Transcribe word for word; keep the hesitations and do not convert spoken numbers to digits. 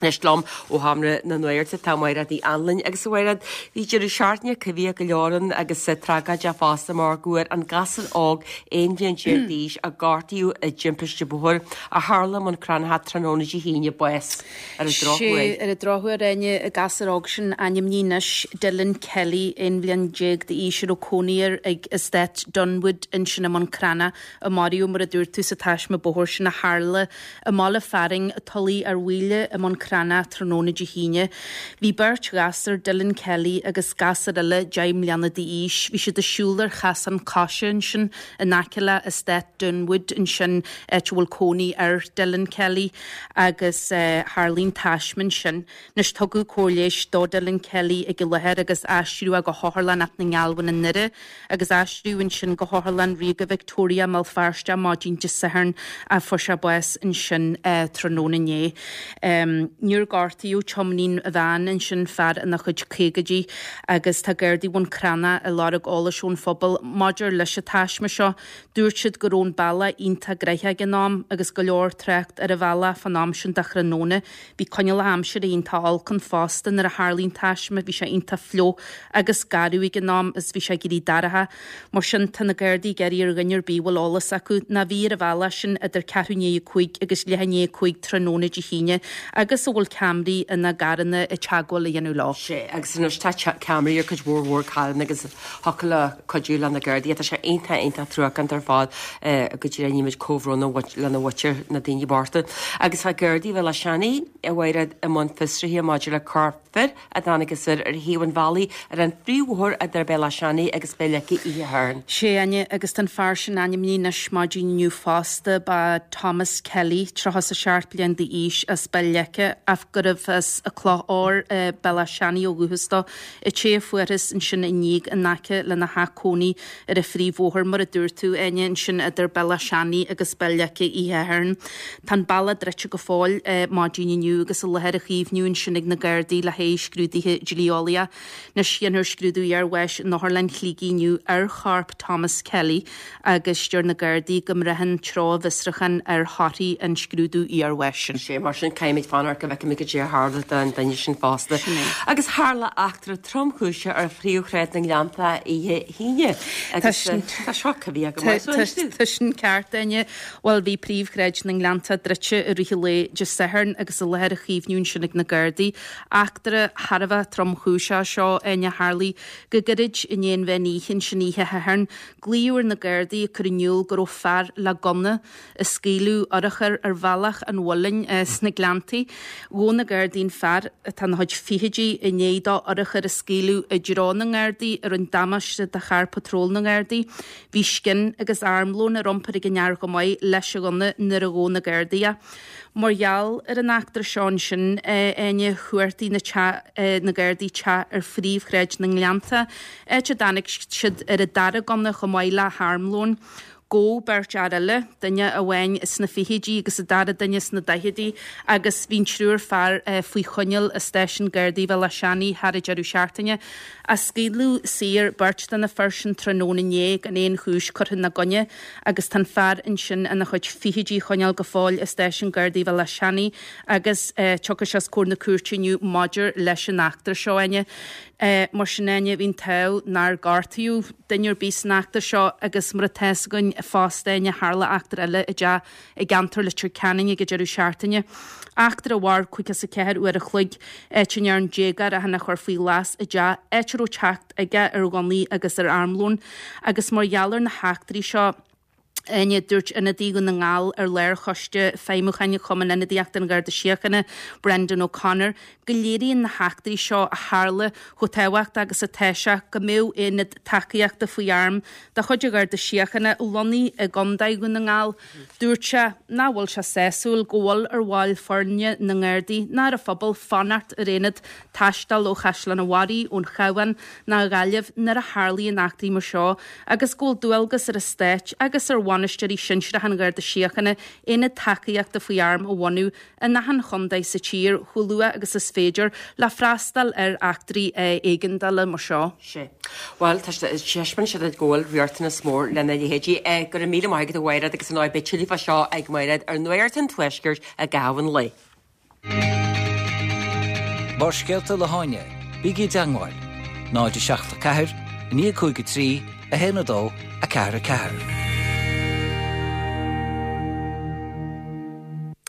Anois liom ó Sheomra na Nuachta tá Mairéad Ní Anluain agus a Mhairéad bhí deireadh seachtaine coimhthíoch go leor ann agus tragóideach fosta mar go bhfuair an gasúr óg aon bhliain déag d'aois a gortaíodh i dtimpiste bóthair a tharla i mBun Cranncha tráthnóna Dé hAoine bás ar an drochuair. Ar an drochuair Áine an gasúr óg sin ainmnithe anois Dylan Kelly aon bhliain déag d'aois a raibh cónaí air ag Eastát Dunwood ansin i mBun Cranncha a maraíodh mar a dúirt tú sa taisme bóthair sin a tharla i mbaile fearainn Tulaigh ar Mhaoile i mBun Cranncha tráthnóna Dé hAoine. Bhí beirt ghasúr Dylan Kelly agus gasúr eile deich mbliana d'aois. Bhí siad ag siúl ar chasán coise ansin in aice le Eastát Dunwood ansin áit a bhfuil cónaí ar Dylan Kelly agus eh, tharla an taisme ansin. Anois tugadh cóir leighis do Dylan Kelly ag an láthair agus aistríodh go hOtharlann na nGealbhan i nDoire agus aistríodh ansin go hOtharlann Ríoga Victoria i mBéal Feirste maidin Dé Sathairn a fuair sé bás ansin eh, tráthnóna inné. Um, níor gortaíodh tiománaí an veain ansin fear ina chuid caogaidí agus tá Gardaí Bhun Cranncha ag lorg eolais ón phobal maidir leis an taisme seo. Dúirt siad go raibh an bealach iontach gnoitheach ag an am agus go leor trácht ar an bhealach fan am sin de thráthnóna. Bhí coinníollacha aimsire iontach olc ann fosta nuair a tharla an taisme, bhí sé iontach fliuch agus garbh ag an am is bhí sé ag éirí dorcha. Mar sin tá na Gardaí ag iarraidh ar dhuine ar bith a bhfuil eolas acu ná bhí ar an bhealach sin idir ceathrú i ndiaidh a cúig agus leath i ndiaidh a cúig tráthnóna Dé hAoine agus a bhfuil ceamaraí ina gcarranna ag teagmháil a dhéanamh leo. Sé agus anois tá ceamaraí ar cuid mhór mhór carranna agus thiocfadh le cuidiú le na Gardaí tá sé iontach iontach truacánta ar fad go dtí nímid comhbhrón lena mhuintir na daoine bochta. Agus tá Gardaí Bhéal Átha Seanaidh a Mhairéad i mbun fiosraithe maidir le corp fir a tháinig soir ar thaobh an bhealaigh ar an phríomhbhóthar idir Béal Átha Seanaidh agus Béal Leice oíche Shathairn. Sé Áine agus tá an fear sin ainmnithe anois maidin inniu fosta ba Thomas Kelly tríocha is a seacht bliain d'aois as Béal Leice ach gurbh as an Chloch Óir Béal Átha Seanaidh ó dhúchas dó. An té a fuarthas ansin inniu in aice lena theach cónaí ar an phríomhbhóthar mar a dúirt tú Áine ansin idir Béal Átha Seanaidh agus Béal Leice oíche Shathairn. Tá an bealach druidte go fóill maidin inniu agus an láthair á caomhnú ansin ag na Gardaí le haghaidh scrúduithe dlí-eolaíocha. Anois déanfar scrúdú iarbháis in Otharlann Shligigh inniu ar chorp Thomas Kelly agus deir na Gardaí go mbraitheann treo an bhfiosrúcháin ar thorthaí an scrúdú iarbháis sin. Sé mar sin caithfimid fanacht go bhfeicfimid cad é a tharla don duine sin fosta. Agus tharla eachtra tromchúiseach ar phríomhshráid na nGleannta oíche hAoine. Agus tá seo coimhthíoch go maith. Tá sin ceart Áine Bhuel bhí príomhshráid na nGleannta druidte i rith an lae Dé Sathairn agus an láthair á caomhnú ansin ag na Gardaí. Eachtra thar a bheith tromchúiseach seo Áine tharla go gairid i ndiaidh an mheán oíche ansin oíche Shathairn. Glaodh ar na Gardaí ag cur in iúl go raibh fear le gunna ag scaoileadh urchar ar bhealach an Mhuilinn sna Gleanntaí. Ghabh na Gardaí an fear atá ina chuid fichidí i ndiaidh dó urchar a scaoileadh i dtreo na nGardaí a rinne damáiste do charr patról na nGardaí. Bhí scian agus armlón ar iompar ag an fhear chomh maith leis an ghunna nuair a ghabh na Gardaí é. Mar gheall ar an eachtra seo ansin Áine chuartaigh na te na Gardaí teach ar phríomhshráid na nGleannta, áit a dtáinig siad ar an dara gunna chomh maith le harmlón. Gabhadh beirt fhear eile, duine amháin sna fichidí agus an dara duine sna daichidí agus bhí an triúr fear faoi choinneáil i stáisiún Gardaí Bhéal Átha Seanaidh thar an deireadh seachtaine. Ach scaoileadh saor beirt de na fir sin tráthnóna inné gan aon chúis curtha ina gcoinne agus tá an fear ansin ina chuid fichidí á choinneáil go fóill i stáisiún Gardaí Bhéal Átha Seanaidh agus tiocfaidh sé os comhair na cúirte inniu maidir leis an eachtra seo Áine. Mar sin Áine bhí an t-ádh nár gortaíodh duine ar bith san eachtra seo agus mar atá fhios againn fosta Áine tharla eachtra eile i dteach i gceantar Leitir Ceanainn ag an deireadh seachtaine. Eachtra a mhair caoga is a ceathair uair a chloig áit a ndearna déagóir é féin a chur faoi ghlas i dteach áit a raibh teacht aige ar ghunnaí agus ar armlón agus mar gheall ar na heachtraí seo Áine dúirt ionadaí Dhún na nGall ar lárchoiste feidhmiúcháin Chumann Ionadaíochta an Gharda Síochána, Brendan O'Connor, go léiríonn na heachtraí seo a tharla chomh tábhachtach agus atá sé go mbeadh aonad tacaíochta faoi arm de chuid an Gharda Síochána lonnaithe i gContae Dhún na nGall. Dúirt sé nach bhfuil sé sásúil go bhfuil ar bhaill foirne na nGardaí ná ar an phobal fanacht ar aonad taisteal ó Chaisleán an Bharraigh, ón Chabhán ná Gaillimh nuair a tharlaíonn eachtraí mar seo agus go bhfuil dualgas ar an Stát agus ar bhainisteoirí sinsearacha an Gharda Síochána aonad tacaíochta faoi arm a bhunú in achan chontae sa tír chomh luath agus is féidir le freastal ar eachtraí éigeandála mar seo. Sé. Bhuel, tá taispeánann siad go bhfuil riachtanas mór lena leithéidí. Go raibh míle maith agat a Mhairéad agus an beidh tuilleadh fá seo ag Mairéad ar Nuacht an Tuaiscirt i gcaitheamh an lae. Barrscéalta le hÁine, bígí i dteagmháil, náid a seacht a ceathair, naoi cúig a trí, a haon a dó, a ceathair a ceathair.